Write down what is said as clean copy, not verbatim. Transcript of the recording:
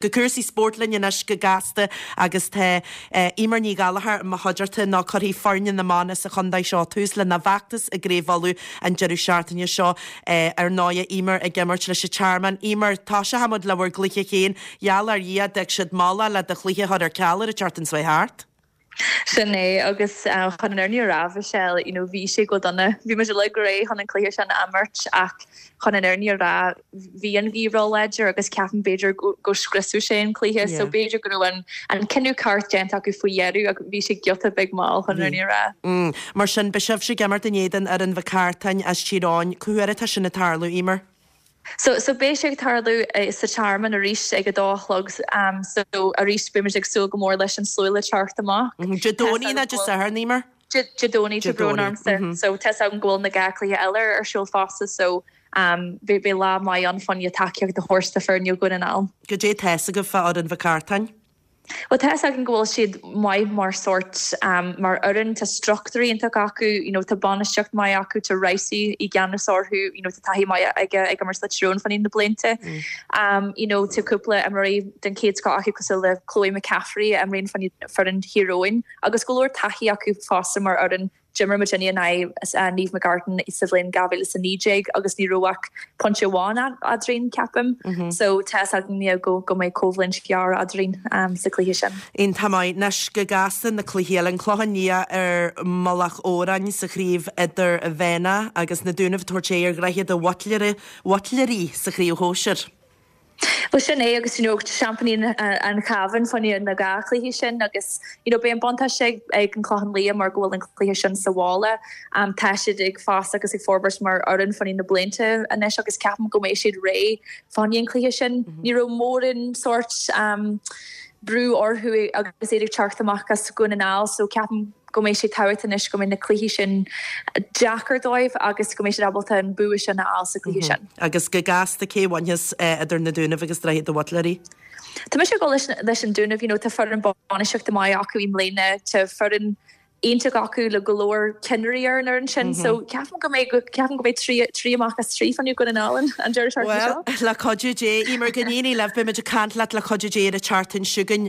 Go cúrsaí spóirt linn anois go gasta agus tá Eimear Ní Ghallchóir i mo chuideachta nó cuirfidh foirne na mban as an chontae seo tús lena bhfeachtas i gCraobh Uladh an deireadh seachtaine seo. Ar ndóighe, Eimear ag imirt leis an Tearmann. Eimear, tosóidh muid le bhur gcluiche féin. Gheall ar Dhia, d'fhág siad moladh le do chluiche a chur ar ceal ar an tseachtain seo thart. Sin é, agus chun an fhírinne a rá, Michelle, you know, bhí sé go dona. Bhí muid uilig réidh chun an cluiche sin a imirt ach chun an fhírinne a rá, bhí an ghaoth ró-láidir agus ceapaim b'fhéidir go scriosfadh sé an cluiche. So b'fhéidir go raibh an an cinneadh ceart déanta acu faoi dheireadh ach bhí sé giota beag mall chun an fhírinne a rá. Mar sin, beidh sibhse ag imirt in éadan fhoireann Mhic Cartáin as Tír Eoghain. Cá huair atá sin ag tarlú, Eimear? So, so beidh sé ag tarlú sa Tearmann arís ag a dó a chlog. So arís beidh muid ag súil go mór leis an slua le teacht amach. Dé Domhnaigh nó Dé Sathairn, Eimear? Dé Domhnaigh, tá brón ormsa. So tá 's agam go bhfuil na dhá cluiche eile ar siúl fosta so beidh lá maith ann fá choinne tacaíocht a thabhairt do foirne Dhún na nGall. Goidé tá 'fhios agaibh fá fhoireann Mhic Cartáin? Bhuel, tá 'fhios againn go bhfuil siad maith mar sórt, mar fhoireann, tá struchtúr iontach acu, you know, tá bainistíocht maith acu, tá Rice i gceannas orthu, you know, tá taithí maith aige ag imirt le Tyrone fá choinne na blianta. You know, tá cúpla imreoirí den chéad scoth acu cosúil le Chloe McCaffrey a imríonn fá choinne foireann Thír Eoghain agus go leor taithí acu fosta mar fhoireann. D'imir muid in aghaidh Naomh McGartan sa bhliain 2019 agus ní raibh ach pointe amháin eadrainn, ceapaim. So tá 'fhios againn go go mbeidh coimhlint ghéar eadrainn sa chluiche sin. Iontach maith. Anois go gasta na cluichí eile. An Clochán Liath ar Mhullach Odhráin sa chraobh idirmheánach agus na Dúnaibh ag tabhairt aghaidh ar Dhroichead a' Bhuitléaraigh sa chraobh shóisir. Bhuel sin é agus you know seaimpíní an Chabháin fá choinne na dhá chluiche sin agus you know beidh an buntáiste ag ag an Clochán Liath mar go bhfuil an cluiche sin sa bhaile. Tá siad ag fás agus ag forbairt mar fhoireann fá choinne na blianta anois agus ceapaim go mbeidh siad réidh fá choinne an cluiche sin. Ní raibh mórán sórt brú orthu agus iad ag teacht amach as Dhún na nGall so ceapaim go mbeidh sé tábhachtach anois go mbeidh na cluichí sin deacair dóibh agus go mbeidh siad ábalta an bua sin a fháil sa chluiche sin. Agus go gasta, cé a bhainfeas idir na Dúnaibh agus Droichead a' Bhuitléaraigh? Tá mise ag dul leis an Dúnaibh, you know, tá foireann bainistíochta maith acu i mbliana, tá foireann iontach acu le go leor cinnirí ar an fhoireann sin, so ceapaim go mbeidh, ceapaim go mbeidh 3, 3 amach as 3 fá choinne Dhún na nGall an deireadh seachtaine seo. Bhuel, le cuidiú Dé, Eimear, go n-éirí libh, beimid ag caint leat le cuidiú Dé ar an tseachtain seo chugainn.